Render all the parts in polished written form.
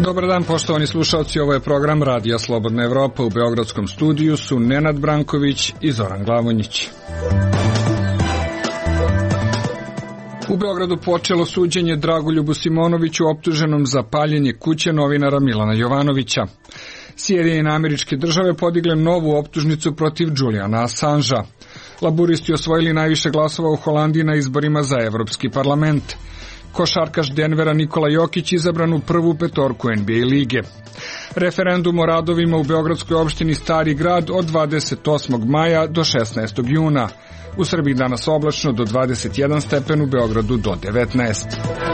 Dobar dan, poštovani slušalci, ovo je program Radija Slobodna Evropa. U beogradskom studiju su Nenad Branković i Zoran Glavonjić. U Beogradu počelo suđenje Dragoljubu Simonoviću optuženom za paljenje kuće novinara Milana Jovanovića. Sjedinjene Američke Države podigle novu optužnicu protiv Juliana Assangea. Laburisti osvojili najviše glasova u Holandiji na izborima za Evropski parlament. Košarkaš Denvera Nikola Jokić izabran u prvu petorku NBA lige. Referendum o radovima u beogradskoj opštini Stari grad od 28. maja do 16. juna. U Srbiji danas oblačno do 21 stepen, u Beogradu do 19.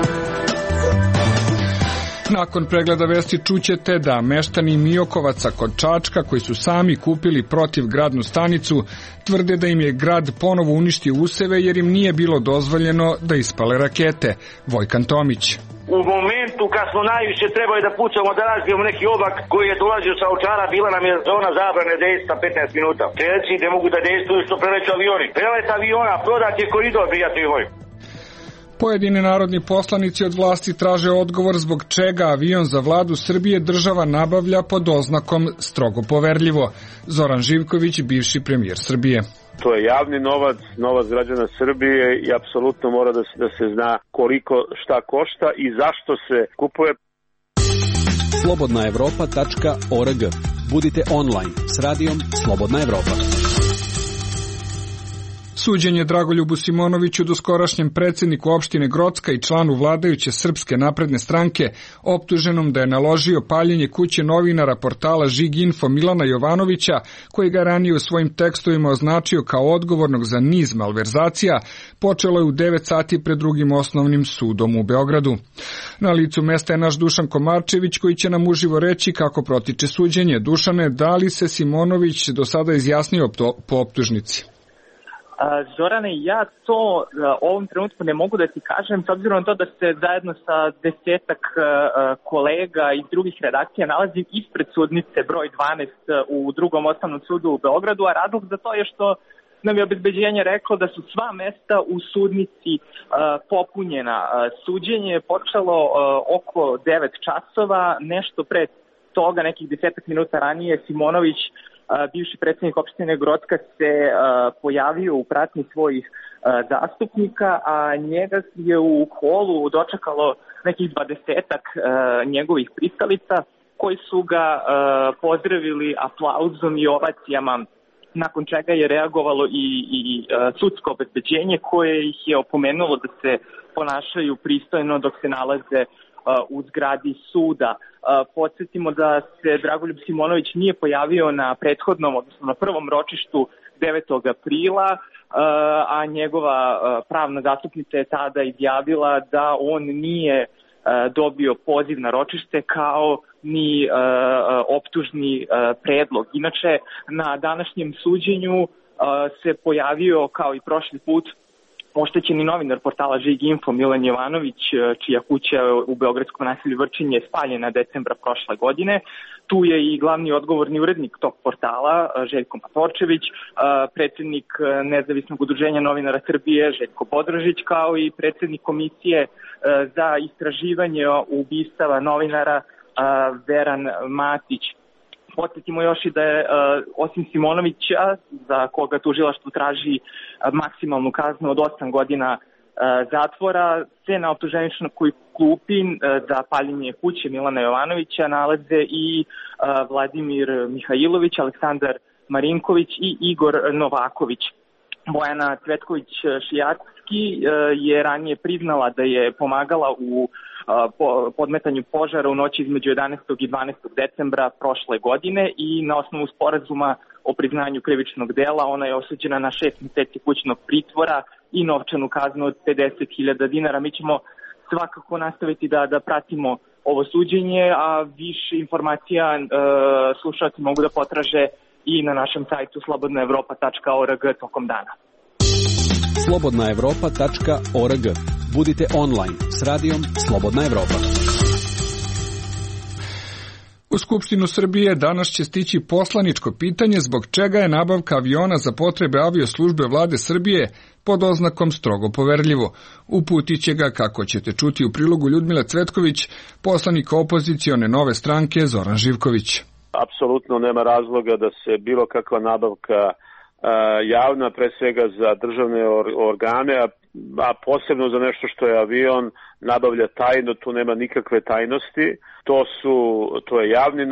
Nakon pregleda vesti čućete da meštani Miokovaca kod Čačka, koji su sami kupili protivgradnu stanicu, tvrde da im je grad ponovo uništio useve jer im nije bilo dozvoljeno da ispale rakete. Vojkan Tomić. U momentu kad smo najviše trebali da pucamo, da razbijemo neki oblak koji je dolazio sa Ovčara, bila nam je zona zabrane dejstva 15 minuta. Strelci ne mogu da dejstvuju što preleću avioni. Prelet aviona, prodat je koridor, prijatelji moji. Pojedini narodni poslanici od vlasti traže odgovor zbog čega avion za vladu Srbije država nabavlja pod oznakom strogo poverljivo. Zoran Živković, bivši premijer Srbije. To je javni novac, novac građana Srbije i apsolutno mora da se zna koliko šta košta i zašto se kupuje. Slobodnaevropa.org. Budite online s radijom Slobodna Evropa. Suđenje Dragoljubu Simonoviću, doskorašnjem predsjedniku opštine Grocka i članu vladajuće Srpske napredne stranke, optuženom da je naložio paljenje kuće novinara portala Žig.info Milana Jovanovića, koji ga ranije u svojim tekstovima označio kao odgovornog za niz malverzacija, počelo je u 9 sati pred drugim osnovnim sudom u Beogradu. Na licu mesta je naš Dušan Komarčević, koji će nam uživo reći kako protiče suđenje. Dušane, da li se Simonović do sada izjasnio po optužnici? Zorane, ja to u ovom trenutku ne mogu da ti kažem, s obzirom na to da se zajedno sa 10-ak kolega iz drugih redakcija nalazim ispred sudnice broj 12 u drugom osnovnom sudu u Beogradu, a razlog za to je što nam je obezbeđenje reklo da su sva mesta u sudnici popunjena. Suđenje je počelo oko 9 časova, nešto pre toga, nekih 10 minuta ranije, Simonović, bivši predsjednik opštine Grocka, se pojavio u pratnji svojih zastupnika, a njega je u holu dočekalo nekih 20-ak njegovih pristalica koji su ga pozdravili aplauzom i ovacijama, nakon čega je reagovalo i sudsko obezbeđenje koje ih je opomenulo da se ponašaju pristojno dok se nalaze u zgradi suda. Podsjetimo da se Dragoljub Simonović nije pojavio na prethodnom, odnosno na prvom ročištu 9. aprila, a njegova pravna zastupnica je tada izjavila da on nije dobio poziv na ročište kao ni optužni predlog. Inače, na današnjem suđenju se pojavio, kao i prošli put, oštećeni novinar portala Žig.info Milan Jovanović, čija kuća u beogradskom naselju Vrčin je spaljena decembra prošle godine. Tu je i glavni odgovorni urednik tog portala, Željko Matorčević, predsjednik Nezavisnog udruženja novinara Srbije, Željko Bodrožić, kao i predsjednik komisije za istraživanje ubistava novinara Veran Matić. Podsjetimo još i da je osim Simonovića, za koga tužilaštvo traži maksimalnu kaznu od 8 godina zatvora, se na optuženičnoj klupi za paljenje kuće Milana Jovanovića nalaze i Vladimir Mihajlović, Aleksandar Marinković i Igor Novaković. Bojana Cvetković-Šijatski je ranije priznala da je pomagala u podmetanju požara u noći između 11. i 12. decembra prošle godine i na osnovu sporazuma o priznanju krivičnog dela ona je osuđena na 6 mjeseci kućnog pritvora i novčanu kaznu od 50.000 dinara. Mi ćemo svakako nastaviti da pratimo ovo suđenje, a više informacija slušalci mogu da potraže i na našem sajtu slobodnaevropa.org tokom dana. Slobodnaevropa.org. Budite online s radijom Slobodna Evropa. U Skupštinu Srbije danas će stići poslaničko pitanje zbog čega je nabavka aviona za potrebe avioslužbe vlade Srbije pod oznakom strogo poverljivo. Uputit će ga, kako ćete čuti u prilogu Ljudmila Cvetković, poslanik opozicione Nove stranke Zoran Živković. Apsolutno nema razloga da se bilo kakva nabavka javna, pre svega za državne organe, a posebno za nešto što je avion, nabavlja tajno, tu nema nikakve tajnosti. To je javni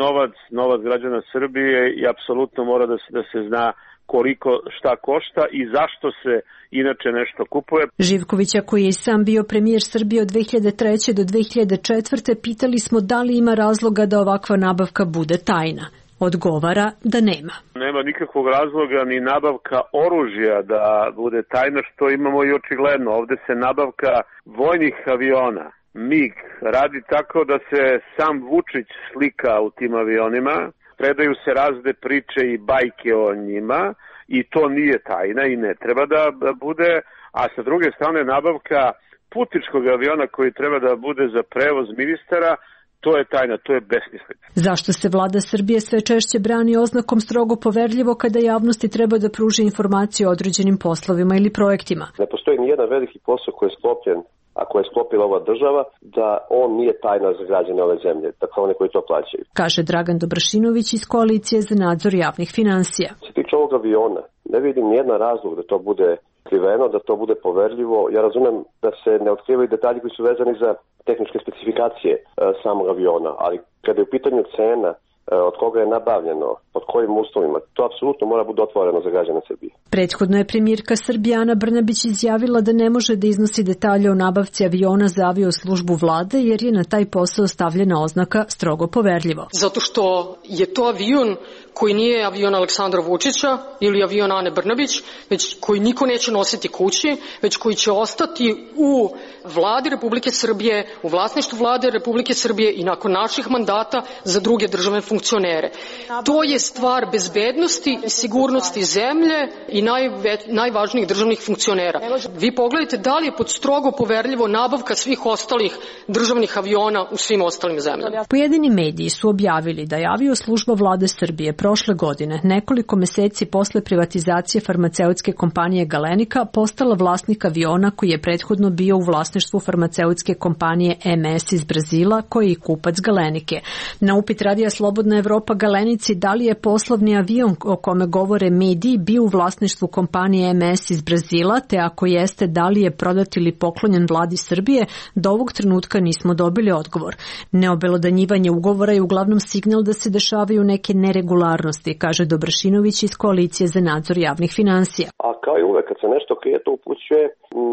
novac građana Srbije i apsolutno mora da se zna koliko šta košta i zašto se inače nešto kupuje. Živkovića, koji je i sam bio premijer Srbije od 2003. do 2004. pitali smo da li ima razloga da ovakva nabavka bude tajna. Odgovara da nema. Nema nikakvog razloga ni nabavka oružja da bude tajna, što imamo i očigledno. Ovde se nabavka vojnih aviona, MiG, radi tako da se sam Vučić slika u tim avionima, predaju se razne priče i bajke o njima i to nije tajna i ne treba da bude, a sa druge strane nabavka putničkog aviona koji treba da bude za prevoz ministara, to je tajna, to je besmislica. Zašto se vlada Srbije sve češće brani oznakom strogo poverljivo kada javnosti treba da pruži informacije o određenim poslovima ili projektima? Ne postoji nijedan veliki posao koji je sklopljen, a koje je sklopila ova država, da on nije tajna za građane ove zemlje, dakle one koji to plaćaju. Kaže Dragan Dobrašinović iz Koalicije za nadzor javnih finansija. Što se tiče ovog aviona, ne vidim nijedan razlog da to bude skriveno, da to bude poverljivo. Ja razumem da se ne otkrivaju detalji koji su vezani za tehničke specifikacije samog aviona, ali kada je u pitanju cena, od koga je nabavljeno, pod kojim uslovima, to apsolutno mora biti otvoreno za građane Srbije. Prethodno je premijerka Srbije Ana Brnabić izjavila da ne može da iznosi detalje o nabavci aviona za avioslužbu vlade, jer je na taj posao stavljena oznaka strogo poverljivo. Zato što je to avion koji nije avion Aleksandra Vučića ili avion Ane Brnabić, već koji niko neće nositi kući, već koji će ostati u vladi Republike Srbije, u vlasništvu vlade Republike Srbije i nakon naših mandata za druge državne funkcionere. To je stvar bezbednosti i sigurnosti zemlje i najvažnijih državnih funkcionera. Vi pogledajte da li je pod strogo poverljivo nabavka svih ostalih državnih aviona u svim ostalim zemljama. Pojedini mediji su objavili da je avioslužba vlade Srbije prošle godine, nekoliko meseci posle privatizacije farmaceutske kompanije Galenika, postala vlasnik aviona koji je prethodno bio u vlasništvu farmaceutske kompanije MS iz Brazila, koji je kupac Galenike. Na upit Radija Slobodna Evropa Galenici da li je poslovni avion o kome govore mediji bio u vlasništvu kompanije MS iz Brazila, te ako jeste da li je prodat ili poklonjen vladi Srbije, do ovog trenutka nismo dobili odgovor. Neobelodanjivanje ugovora je uglavnom signal da se dešavaju neke neregularnosti, kaže Dobrašinović iz Koalicije za nadzor javnih finansija. A kao i uvek, kad se nešto krije, to upućuje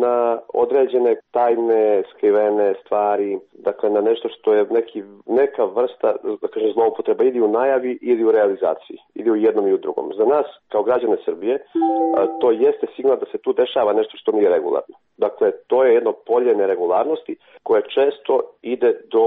na određene tajne, skrivene stvari, dakle na nešto što je neka vrsta, da kažem, zloupotreba ili u najavi ili u realizaciji, ili u jednom i u drugom. Za nas, kao građane Srbije, to jeste signal da se tu dešava nešto što nije regularno. Dakle, to je jedno polje neregularnosti koje često ide do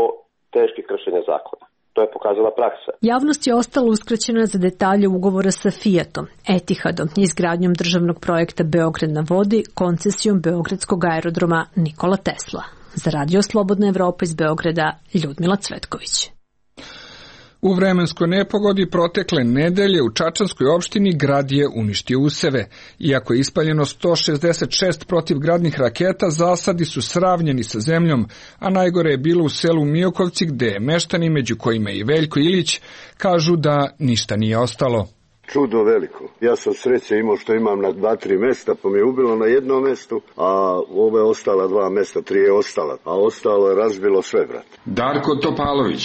teških kršenja zakona. To je pokazala praksa. Javnost je ostala uskraćena za detalje ugovora sa Fiatom, Etihadom, izgradnjom državnog projekta Beograd na vodi, koncesijom Beogradskog aerodroma Nikola Tesla. Za Radio Slobodna Evropa iz Beograda, Ljudmila Cvetković. U vremenskoj nepogodi protekle nedelje u Čačanskoj opštini grad je uništio useve. Iako je ispaljeno 166 protivgradnih raketa, zasadi su sravnjeni sa zemljom, a najgore je bilo u selu Miokovci, gde meštani, među kojima i Veljko Ilić, kažu da ništa nije ostalo. Čudo veliko. Ja sam sreće imao što imam na 2-3 mesta, pa mi je ubilo na jednom mestu, a ove ostala 2 mesta, 3 je ostala, a ostalo je razbilo sve, brat. Darko Topalović.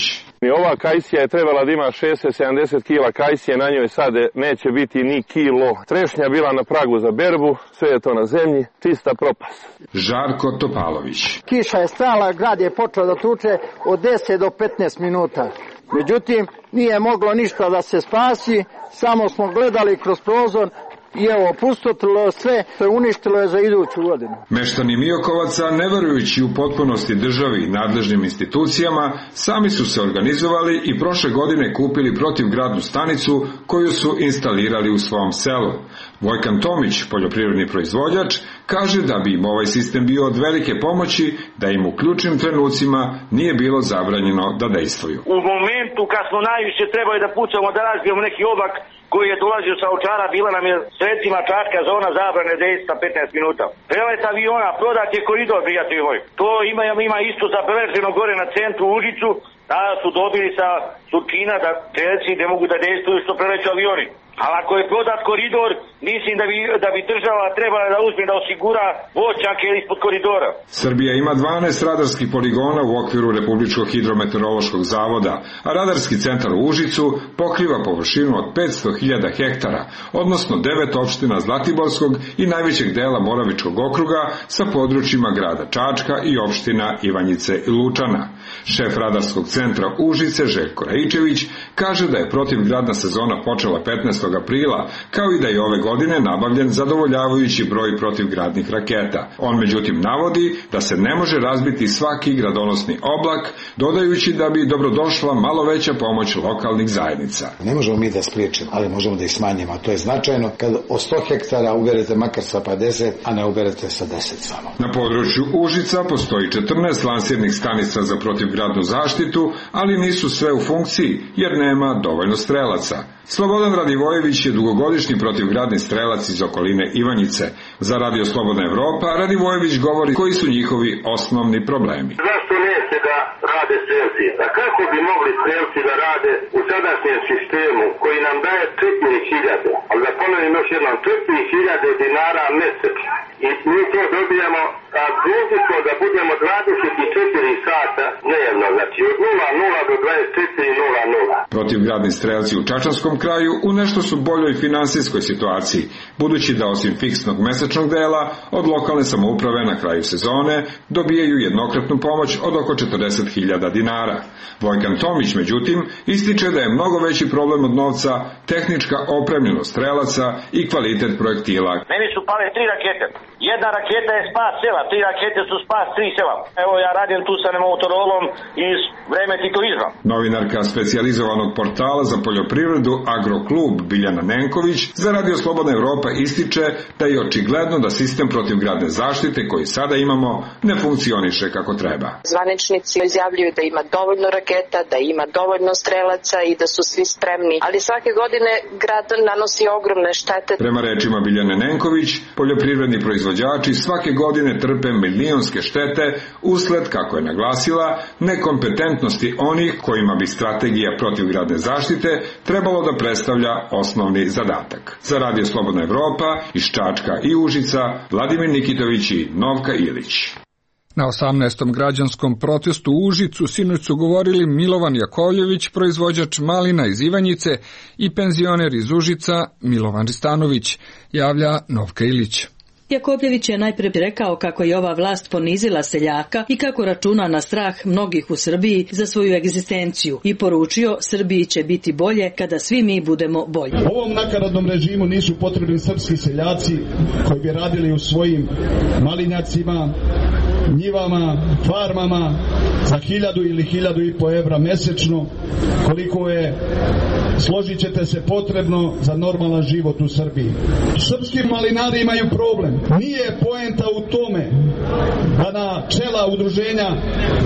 Ova kajsija je trebala da ima 60-70 kila kajsije, na njoj sad neće biti ni kilo. Trešnja bila na pragu za berbu, sve je to na zemlji, čista propast. Žarko Topalović. Kiša je stala, grad je počeo da tuče od 10 do 15 minuta. Međutim, nije moglo ništa da se spasi, samo smo gledali kroz prozor i evo, pustotilo sve, što je uništilo je za iduću godinu. Meštani Miokovaca, ne verujući u potpunosti državi i nadležnim institucijama, sami su se organizovali i prošle godine kupili protivgradnu stanicu koju su instalirali u svom selu. Vojkan Tomić, poljoprivredni proizvođač, kaže da bi im ovaj sistem bio od velike pomoći, da im u ključnim trenucima nije bilo zabranjeno da dejstvuju. U momentu kad smo najviše trebali da pucamo, da razbijemo neki obak koji je dolazio sa Ovčara, bila nam je sredstvima Čačka zona zabrane dejstva 15 minuta. Prelet aviona, prodat je koridor, prijatelji moji. To ima isto zabeleženo gore na centru Užicu, da su dobili sa Surčina da strelci ne mogu da dejstvuju što preleću avioni. Ali ako je prodat koridor, mislim da bi država trebala da uzme da osigura voćnjake ispod koridora. Srbija ima 12 radarskih poligona u okviru Republičkog hidrometeorološkog zavoda, a radarski centar u Užicu pokriva površinu od 500.000 hektara, odnosno 9 opština Zlatiborskog i najvećeg dela Moravičkog okruga sa područjima grada Čačka i opština Ivanjice i Lučana. Šef radarskog centra Užice, Željko Raičević, kaže da je protivgradna sezona počela 15. aprila, kao i da je ove godine nabavljen zadovoljavajući broj protivgradnih raketa. On međutim navodi da se ne može razbiti svaki gradonosni oblak, dodajući da bi dobrodošla malo veća pomoć lokalnih zajednica. Ne možemo mi da spriječimo, ali možemo da ih smanjimo, a to je značajno kad od 100 hektara uberete makar sa 50, a ne uberete sa 10 samo. Na području Užica postoji 14 lansirnih stanica za protivgradnu zaštitu, ali nisu sve u funkciji jer nema dovoljno strelaca. Slobodan Radivojević je dugogodišnji protivgradni strelac iz okoline Ivanjice. Za Radio Slobodna Evropa Radivojević govori koji su njihovi osnovni problemi. Zašto neće da rade strelci? A kako bi mogli strelci da rade u sadašnjem sistemu koji nam daje 4.000, ali da ponovim još jednom, 4.000 dinara mesečno. I mi to dobijamo, a dužni smo da budemo 24 sata dnevno, znači od 00 do 24:00. Protivgradni strelci u Čačanskom kraju u nešto su boljoj finansijskoj situaciji, budući da osim fiksnog mesečnog dela od lokalne samouprave na kraju sezone dobijaju jednokratnu pomoć od oko 40.000 dinara. Vojkan Tomić, međutim, ističe da je mnogo veći problem od novca tehnička opremljenost strelaca i kvalitet projektila. Meni su pale 3 rakete. Jedna raketa je spas sela, 3 rakete su spas 3 sela. Evo ja radim tu sa motorolom iz vreme titoizma. Novinarka specijalizovanog portala za poljoprivredu Agroklub Biljana Nenković za Radio Slobodna Evropa ističe da je očigledno da sistem protivgradne zaštite koji sada imamo ne funkcioniše kako treba. Zvaničnici izjavljuju da ima dovoljno raketa, da ima dovoljno strelaca i da su svi spremni, ali svake godine grad nanosi ogromne štete. Prema rečima Biljane Nenković, poljoprivredni proizvođači svake godine trpe milionske štete usled, kako je naglasila, nekompetentnosti onih kojima bi strategija protivgradne zaštite trebalo da predstavlja osnovni zadatak. Za Radio Slobodna Evropa iz Čačka i Užica, Vladimir Nikitović i Novka Ilić. Na 18. građanskom protestu u Užicu sinoć su govorili Milovan Jakovljević, proizvođač malina iz Ivanjice, i penzioner iz Užica Milovan Ristanović, javlja Novka Ilić. Jakovljević je najprije rekao kako je ova vlast ponizila seljaka i kako računa na strah mnogih u Srbiji za svoju egzistenciju i poručio Srbiji će biti bolje kada svi mi budemo bolji. Ovom nakaradnom režimu nisu potrebni srpski seljaci koji bi radili u svojim malinjacima, njivama, farmama za 1.000 ili 1.500 evra mesečno, koliko je, složit ćete se, potrebno za normalan život u Srbiji. Srpski malinari imaju problem. Nije poenta u tome da na čela udruženja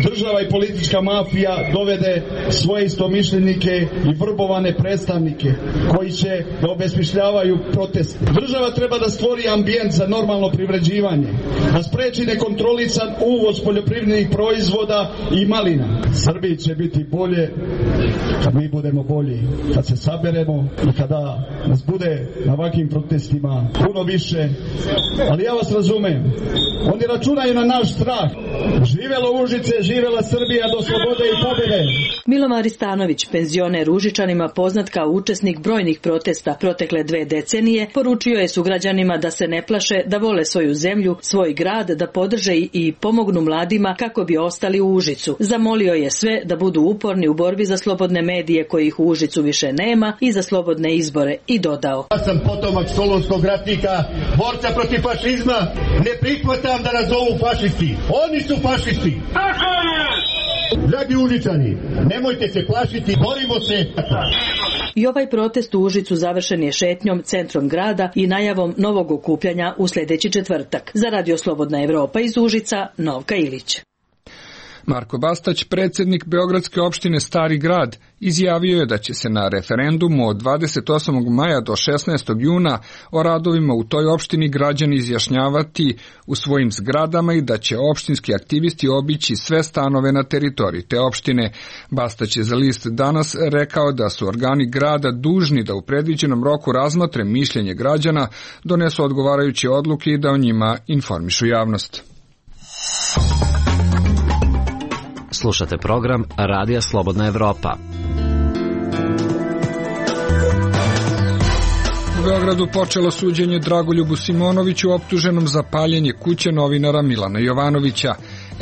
država i politička mafija dovede svoje istomišljenike i vrbovane predstavnike koji će da obesmišljavaju protest. Država treba da stvori ambijent za normalno privređivanje, da spreči nekontrolisan uvoz poljoprivrednih proizvoda i malina. Srbiji će biti bolje kad mi budemo bolji, kad se saberemo i kada nas bude na ovakvim protestima puno više. Ali ja vas razumem, oni računaju na naš strah. Živelo Užice, živela Srbija do slobode i pobjede. Milovan Ristanović, penzioner Užičanima poznat kao učesnik brojnih protesta protekle 2 decenije, poručio je sugrađanima da se ne plaše, da vole svoju zemlju, svoj grad, da podrže i pomognu mladima kako bi ostali u Užicu. Zamolio je sve da budu uporni u borbi za slobodne medije kojih u Užicu više nema i za slobodne izbore, i dodao: Ja sam potomak solunskog ratnika, borca protiv fašizma, ne prihvatam da nas zovu fašisti. Oni su fašisti. Dragi Užičani, nemojte se plašiti, borimo se. I ovaj protest u Užicu završen je šetnjom centrom grada i najavom novog okupljanja u sljedeći četvrtak. Za Radio Slobodna Evropa iz Užica, Novka Ilić. Marko Bastać, predsjednik Beogradske opštine Stari Grad, izjavio je da će se na referendumu od 28. maja do 16. juna o radovima u toj opštini građani izjašnjavati u svojim zgradama i da će opštinski aktivisti obići sve stanove na teritoriji te opštine. Bastać je za list Danas rekao da su organi grada dužni da u predviđenom roku razmotre mišljenje građana, donesu odgovarajuće odluke i da o njima informišu javnost. Slušate program Radija Slobodna Evropa. U Beogradu počelo suđenje Dragoljubu Simonoviću optuženom za paljenje kuće novinara Milana Jovanovića.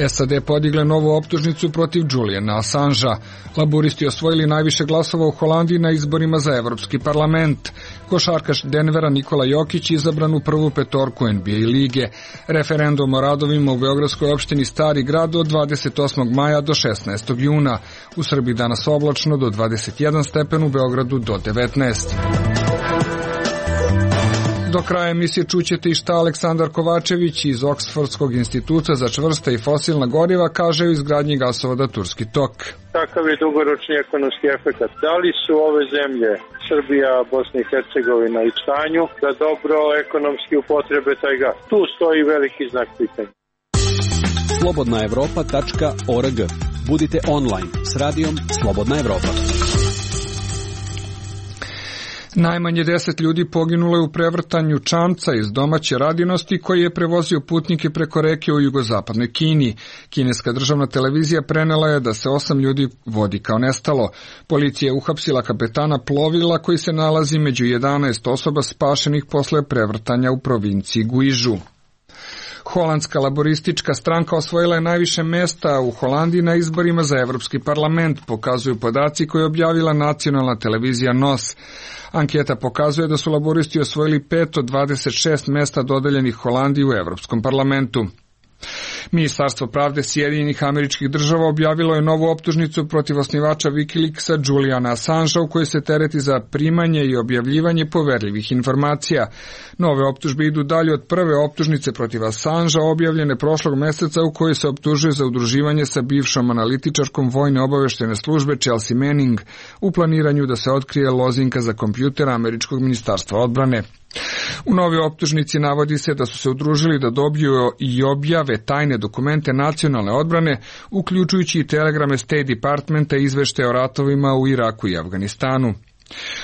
SAD podigle novu optužnicu protiv Juliana Assangea. Laburisti osvojili najviše glasova u Holandiji na izborima za Evropski parlament. Košarkaš Denvera Nikola Jokić izabran u prvu petorku NBA lige. Referendum o radovima u Beogradskoj opštini Stari Grad od 28. maja do 16. juna. U Srbiji danas oblačno do 21 stepen, u Beogradu do 19. Do kraja emisije čućete i šta Aleksandar Kovačević iz Oksfordskog instituta za čvrsta i fosilna goriva kaže o izgradnji gasovoda Turski tok. Kakav je dugoročni ekonomski efekat? Da li su ove zemlje, Srbija, Bosna i Hercegovina, u stanju da dobro ekonomski upotrebe taj gas? Tu stoji veliki znak pitanja. slobodnaevropa.org. Budite online s radijom Slobodna Evropa. Najmanje 10 ljudi poginulo je u prevrtanju čamca iz domaće radinosti koji je prevozio putnike preko reke u jugozapadnoj Kini. Kineska državna televizija prenela je da se 8 ljudi vodi kao nestalo. Policija je uhapsila kapetana plovila koji se nalazi među 11 osoba spašenih posle prevrtanja u provinciji Guižu. Holandska laboristička stranka osvojila je najviše mesta u Holandiji na izborima za Evropski parlament, pokazuju podaci koje je objavila nacionalna televizija NOS. Anketa pokazuje da su laboristi osvojili 5 od 26 mesta dodeljenih Holandiji u Evropskom parlamentu. Ministarstvo pravde Sjedinjenih Američkih Država objavilo je novu optužnicu protiv osnivača Wikileaksa Juliana Assangea u kojoj se tereti za primanje i objavljivanje poverljivih informacija. Nove optužbe idu dalje od prve optužnice protiv Assangea objavljene prošlog meseca u kojoj se optužuje za udruživanje sa bivšom analitičarkom vojne obaveštene službe Chelsea Manning u planiranju da se otkrije lozinka za kompjuter Američkog ministarstva odbrane. U novoj optužnici navodi se da su se udružili da dobiju i objave tajne dokumente nacionalne odbrane, uključujući i telegrame State Departmenta i izveštaje o ratovima u Iraku i Afganistanu.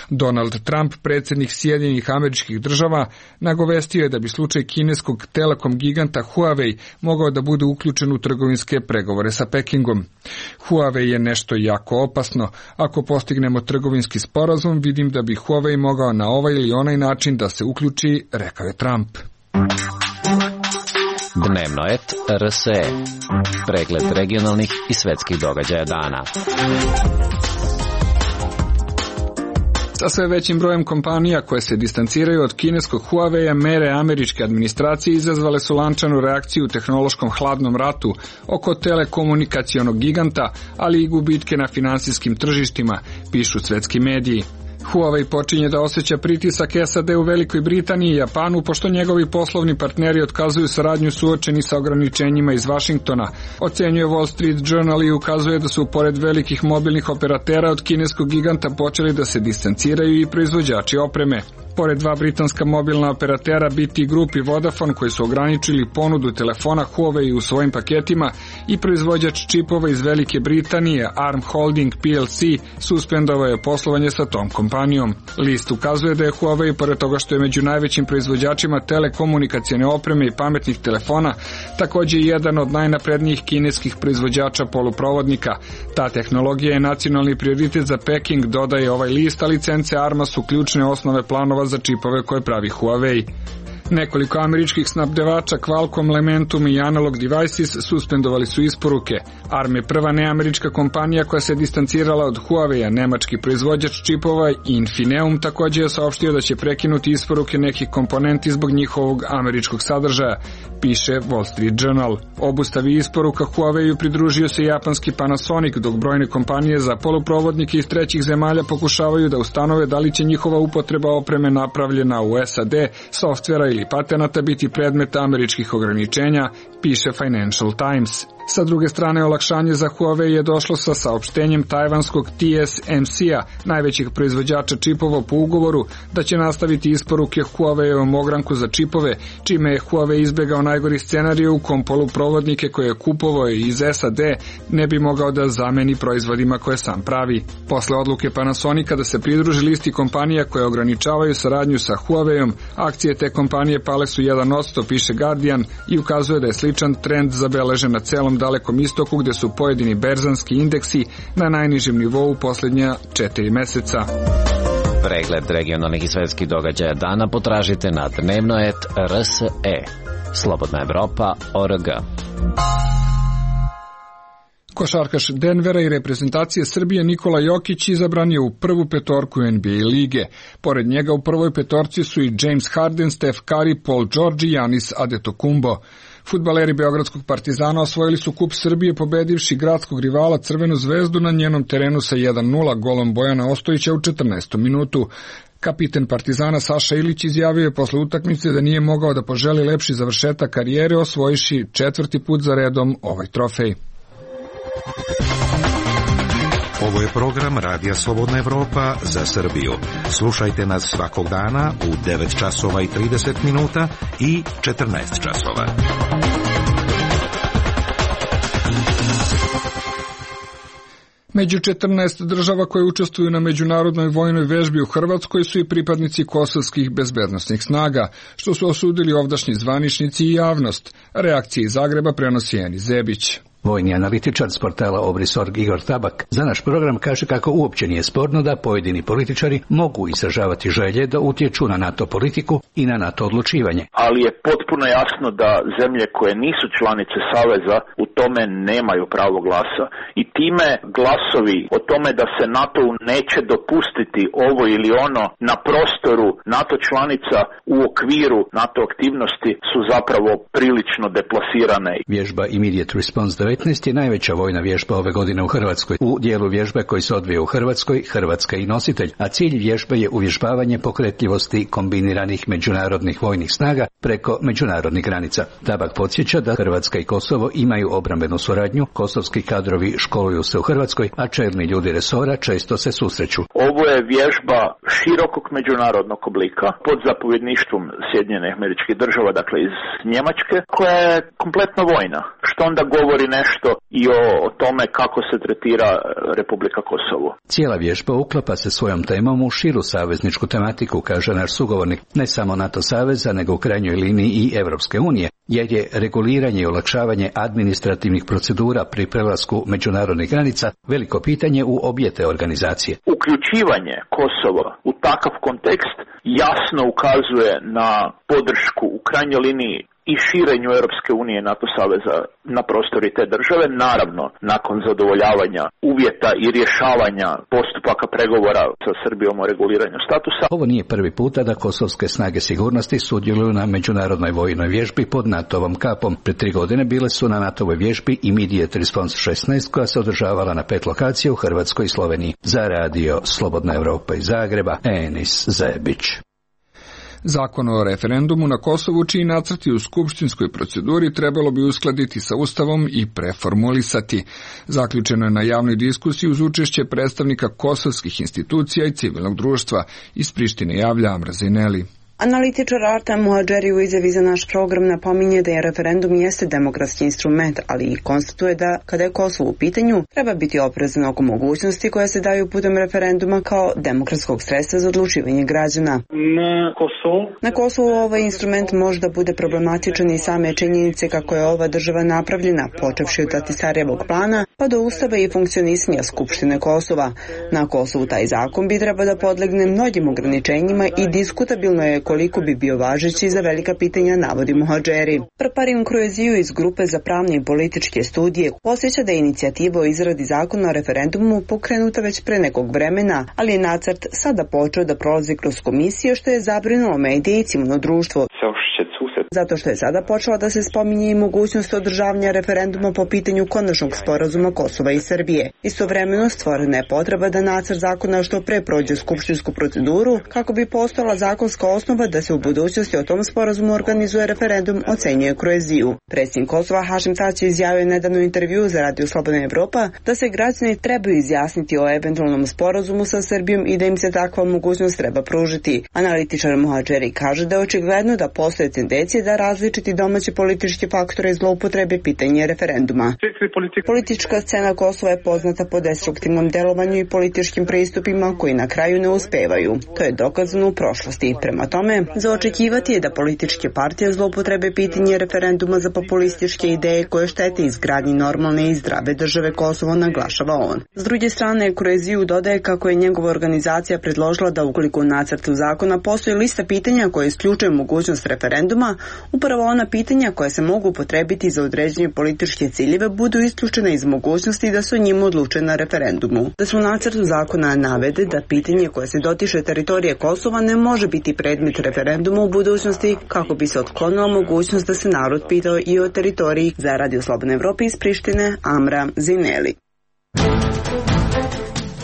Donald Trump, predsjednik Sjedinjenih Američkih Država, nagovestio je da bi slučaj kineskog telekom giganta Huawei mogao da bude uključen u trgovinske pregovore sa Pekingom. Huawei je nešto jako opasno. Ako postignemo trgovinski sporazum, vidim da bi Huawei mogao na ovaj ili onaj način da se uključi, rekao je Trump. Dnevnoet RSE. Pregled regionalnih i svetskih događaja dana. Sa sve većim brojem kompanija koje se distanciraju od kineskog Huawei-a, mere američke administracije izazvale su lančanu reakciju u tehnološkom hladnom ratu oko telekomunikacionog giganta, ali i gubitke na finansijskim tržištima, pišu svetski mediji. Huawei počinje da osjeća pritisak SAD u Velikoj Britaniji i Japanu, pošto njegovi poslovni partneri otkazuju saradnju suočeni sa ograničenjima iz Vašingtona. Ocenjuje Wall Street Journal i ukazuje da su pored velikih mobilnih operatera od kineskog giganta počeli da se distanciraju i proizvođači opreme. Pored dva britanska mobilna operatera BT Group i Vodafone koji su ograničili ponudu telefona Huawei u svojim paketima, i proizvođač čipova iz Velike Britanije Arm Holding PLC suspendovao je poslovanje sa tom kompanijom. List ukazuje da je Huawei, pored toga što je među najvećim proizvođačima telekomunikacione opreme i pametnih telefona, također jedan od najnaprednijih kineskih proizvođača poluprovodnika. Ta tehnologija je nacionalni prioritet za Peking, dodaje ovaj list, a licence Arma su ključne osnove planova za čipove koje pravi Huawei. Nekoliko američkih snabdevača Qualcomm, Lementum i Analog Devices suspendovali su isporuke. ARM je prva neamerička kompanija koja se distancirala od Huawei-a. Nemački proizvođač čipova Infineum također je saopštio da će prekinuti isporuke nekih komponenti zbog njihovog američkog sadržaja, piše Wall Street Journal. Obustavi isporuka Huawei-u pridružio se japanski Panasonic, dok brojne kompanije za poluprovodnike iz trećih zemalja pokušavaju da ustanove da li će njihova upotreba opreme napravljena u SAD, softvera ili patenata biti predmet američkih ograničenja, piše Financial Times. Sa druge strane, olakšanje za Huawei je došlo sa saopštenjem tajvanskog TSMC-a, najvećih proizvođača čipova po ugovoru, da će nastaviti isporuke Huawei-ovom ogranku za čipove, čime je Huawei izbegao najgori scenarij u kom poluprovodnike koje je kupovao iz SAD ne bi mogao da zameni proizvodima koje sam pravi. Posle odluke Panasonica da se pridruži listi kompanija koje ograničavaju saradnju sa Huawei-om, akcije te kompanije pale su 1%, piše Guardian, i ukazuje da je sličan trend zabeležen na celom Dalekom istoku, gde su pojedini berzanski indeksi na najnižem nivou u posljednja 4 meseca. Pregled regionalnih i svetskih događaja dana potražite na dnevnoet.rse. Slobodna Evropa.org. Košarkaš Denvera i reprezentacije Srbije Nikola Jokić izabran je u prvu petorku NBA lige. Pored njega u prvoj petorci su i James Harden, Steph Curry, Paul George i Giannis Antetokounmpo. Fudbaleri Beogradskog Partizana osvojili su kup Srbije pobedivši gradskog rivala Crvenu zvezdu na njenom terenu sa 1:0 golom Bojana Ostojića u 14. minutu. Kapiten Partizana Saša Ilić izjavio je posle utakmice da nije mogao da poželi lepši završetak karijere, osvojiši 4. put za redom ovaj trofej. Ovo je program Radija Slobodna Evropa za Srbiju. Slušajte nas svakog dana u 9 časova i 30 minuta i 14 časova. Među 14 država koje učestvuju na međunarodnoj vojnoj vežbi u Hrvatskoj su i pripadnici kosovskih bezbednosnih snaga, što su osudili ovdašnji zvaničnici i javnost. Reakcije iz Zagreba prenosi Eni Zebić. Vojni analitičar s portala Obris.org Igor Tabak za naš program kaže kako uopće nije sporno da pojedini političari mogu izražavati želje da utječu na NATO politiku i na NATO odlučivanje. Ali je potpuno jasno da zemlje koje nisu članice Saveza u tome nemaju pravo glasa. I time glasovi o tome da se NATO-u neće dopustiti ovo ili ono na prostoru NATO članica u okviru NATO aktivnosti su zapravo prilično deplasirane. Vježba Immediate Response 19 je najveća vojna vježba ove godine u Hrvatskoj. U dijelu vježbe koji se odvija u Hrvatskoj, Hrvatska i nositelj, a cilj vježbe je uvježbavanje pokretljivosti kombiniranih međunarodnih vojnih snaga preko međunarodnih granica. Tabak podsjeća da Hrvatska i Kosovo imaju obrambenu suradnju, kosovski kadrovi školuju se u Hrvatskoj, a čelni ljudi resora često se susreću. Ovo je vježba širokog međunarodnog oblika pod zapovjedništvom Sjedinjenih Američkih Država, dakle iz Njemačke, koja je kompletno vojna, što onda govori nešto i o tome kako se tretira Republika Kosovo. Cijela vježba uklapa se svojom temom u širu savezničku tematiku, kaže naš sugovornik, ne samo NATO saveza, nego u krajnjoj liniji i Evropske unije, jer je reguliranje i olakšavanje administrativnih procedura pri prelasku međunarodnih granica veliko pitanje u obje te organizacije. Uključivanje Kosova u takav kontekst jasno ukazuje na podršku u krajnjoj liniji i širenju Europske unije i NATO saveza na prostori te države, naravno nakon zadovoljavanja uvjeta i rješavanja postupaka pregovora sa Srbijom o reguliranju statusa. Ovo nije prvi puta da kosovske snage sigurnosti sudjeluju na međunarodnoj vojnoj vježbi pod NATO-vom kapom. Pred 3 godine bile su na NATO-voj vježbi Immediate Response 16 koja se održavala na 5 lokacija u Hrvatskoj i Sloveniji. Za radio Slobodna Evropa iz Zagreba, Enis Zebić. Zakon o referendumu na Kosovu, čiji nacrti u skupštinskoj proceduri trebalo bi uskladiti sa Ustavom i preformulisati. Zaključeno je na javnoj diskusiji uz učešće predstavnika kosovskih institucija i civilnog društva. Iz Prištine javlja Amra Zineli. Analitičar Artem Muhadžeri u izjavi za naš program napominje da je referendum jeste demokratski instrument, ali i konstatuje da, kada je Kosovo u pitanju, treba biti oprezan oko mogućnosti koje se daju putem referenduma kao demokratskog sredstva za odlučivanje građana. Na Kosovu ovaj instrument može da bude problematičan i same činjenice kako je ova država napravljena, počevši od Ahtisarjevog plana pa do ustava i funkcionisanja Skupštine Kosova. Na Kosovu taj zakon bi trebao da podlegne mnogim ograničenjima i diskutabilno je koliko bi bio važeći za velika pitanja, navodi Muhadžeri. Parparim Krueziju iz grupe za pravne i političke studije posjeća da je inicijativa o izradi zakona o referendumu pokrenuta već pre nekog vremena, ali je nacrt sada počeo da prolazi kroz komisije, što je zabrinulo medije i civilno društvo. Zato što je sada počela da se spominje i mogućnost održavanja referenduma po pitanju konačnog sporazuma Kosova i Srbije. Istovremeno stvorena je potreba da nacrt zakona što pre prođe skupštinsku proceduru kako bi postojala zakonska osnova da se u budućnosti o tom sporazumu organizuje referendum, ocenjuje Krueziju. Predsjednik Kosova Hašim Tači izjavio nedavno intervju za Radio Slobodna Evropa da se građani trebaju izjasniti o eventualnom sporazumu sa Srbijom i da im se takva mogućnost treba pružiti. Analitičar Muhadžeri kaže da je očigledno da postoje tendencije da različiti domaći politički faktore zloupotrebe pitanje referenduma. Politička scena Kosova je poznata po destruktivnom delovanju i političkim pristupima koji na kraju ne uspevaju. To je dokazano u prošlosti. Prema tome, za očekivati je da političke partije zloupotrebe pitanje referenduma za populističke ideje koje štete izgradnji normalne i zdrave države Kosovo, naglašava on. S druge strane, Krueziju dodaje kako je njegova organizacija predložila da ukoliko u nacrtu zakona postoji lista pitanja koje isključuje mogućnost referenduma, upravo ona pitanja koja se mogu upotrebiti za određenje političke ciljeve budu isključena iz mogućnosti da se o njima odluče na referendumu. Da se u nacrtu zakona navede da pitanje koje se dotiče teritorije Kosova ne može biti predmet referenduma u budućnosti kako bi se otklonila mogućnost da se narod pitao i o teritoriji. Za Radio Slobodne Evrope iz Prištine, Amra Zineli.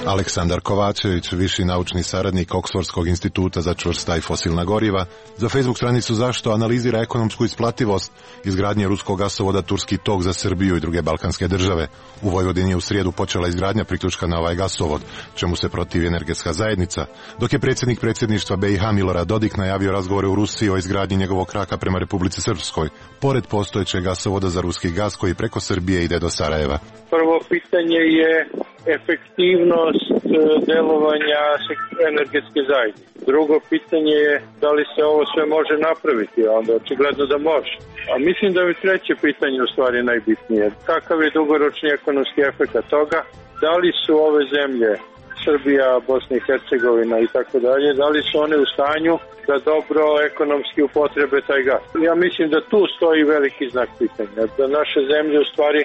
Aleksandar Kovačević, viši naučni saradnik Oksfordskog instituta za čvrsta i fosilna goriva, za Facebook stranicu Zašto analizira ekonomsku isplativost izgradnje ruskog gasovoda Turski tok za Srbiju i druge balkanske države. U Vojvodini je u srijedu počela izgradnja priključka na ovaj gasovod, čemu se protivi energetska zajednica, dok je predsjednik predsjedništva BiH Milorad Dodik najavio razgovore u Rusiji o izgradnji njegovog kraka prema Republici Srpskoj, pored postojećeg gasovoda za ruski gas koji preko Srbije ide do Sarajeva. Prvo pitanje je efektivnost delovanja energetske zajednice. Drugo pitanje je da li se ovo sve može napraviti, a onda očigledno da može. A mislim da je treće pitanje u stvari najbitnije. Kakav je dugoročni ekonomski efekt toga? Da li su ove zemlje, Srbija, Bosna i Hercegovina i tako dalje, da li su one u stanju da dobro ekonomski upotrebe taj gas? Ja mislim da tu stoji veliki znak pitanja, da naše zemlje u stvari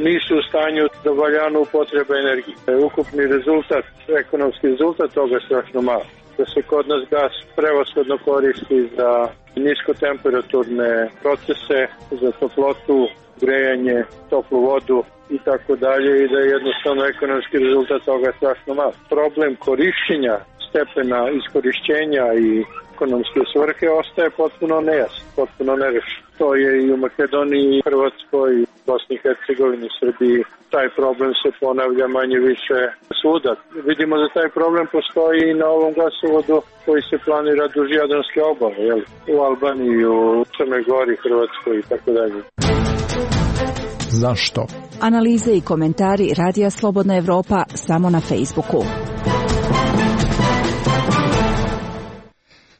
nisu u stanju da valjano upotrebe energije. Ukupni rezultat, ekonomski rezultat toga je strašno malo. Da se kod nas gas prevashodno koristi za niskotemperaturne procese, za toplotu, grejanje, toplu vodu i tako dalje i da je jednostavno ekonomski rezultat toga je strašno malo. Problem korišćenja stepena iskorišćenja i ekonomske svrhe ostaje potpuno nejasan, potpuno nerešen. To je i u Makedoniji, Hrvatskoj, Bosni i Hercegovini, Srbiji. Taj problem se ponavlja manje više svuda. Vidimo da taj problem postoji i na ovom gasovodu koji se planira duž Jadranske obale, jel? U Albaniji, u Crnoj Gori, Hrvatskoj i tako dalje. Zašto? Analize i komentari Radija Slobodna Evropa samo na Facebooku.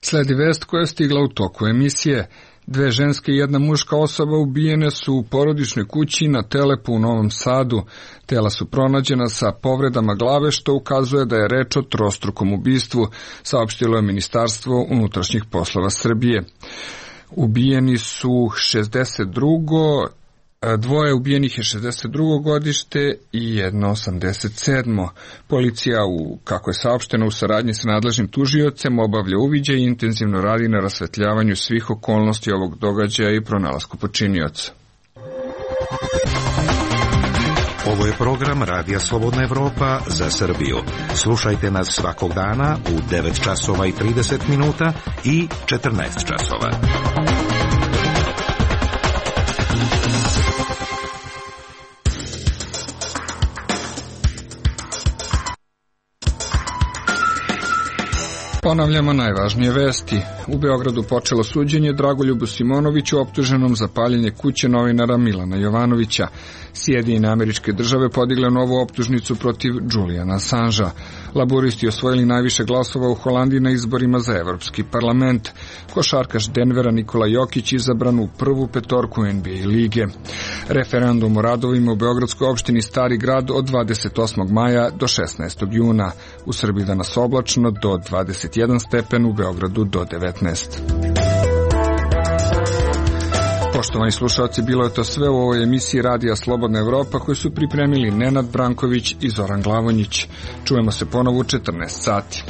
Sledi vest koja je stigla u toku emisije. 2 ženske i 1 muška osoba ubijene su u porodičnoj kući na Telepu u Novom Sadu. Tela su pronađena sa povredama glave, što ukazuje da je reč o trostrukom ubistvu, saopštilo je Ministarstvo unutrašnjih poslova Srbije. Ubijeni su 2 ubijenih je 62. godište i 87. Policija, kako je saopšteno, u saradnji sa nadležnim tužiocem obavlja uviđaj i intenzivno radi na rasvetljavanju svih okolnosti ovog događaja i pronalasku počinioca. Ovo je program Radija Slobodna Evropa za Srbiju. Slušajte nas svakog dana u 9 časova i 30 minuta i 14 časova. Ponavljamo najvažnije vesti. U Beogradu počelo suđenje Dragoljubu Simonoviću optuženom za paljenje kuće novinara Milana Jovanovića. Sjedinjene Američke Države podigle novu optužnicu protiv Juliana Assangea. Laburisti osvojili najviše glasova u Holandiji na izborima za Evropski parlament. Košarkaš Denvera Nikola Jokić izabran u prvu petorku NBA lige. Referendum o radovima u beogradskoj opštini Stari grad od 28. maja do 16. juna. U Srbiji danas oblačno do 21 stepen, u Beogradu do 19. Poštovani slušalci, bilo je to sve u ovoj emisiji Radija Slobodna Evropa koju su pripremili Nenad Branković i Zoran Glavonjić. Čujemo se ponovo u 14 sati.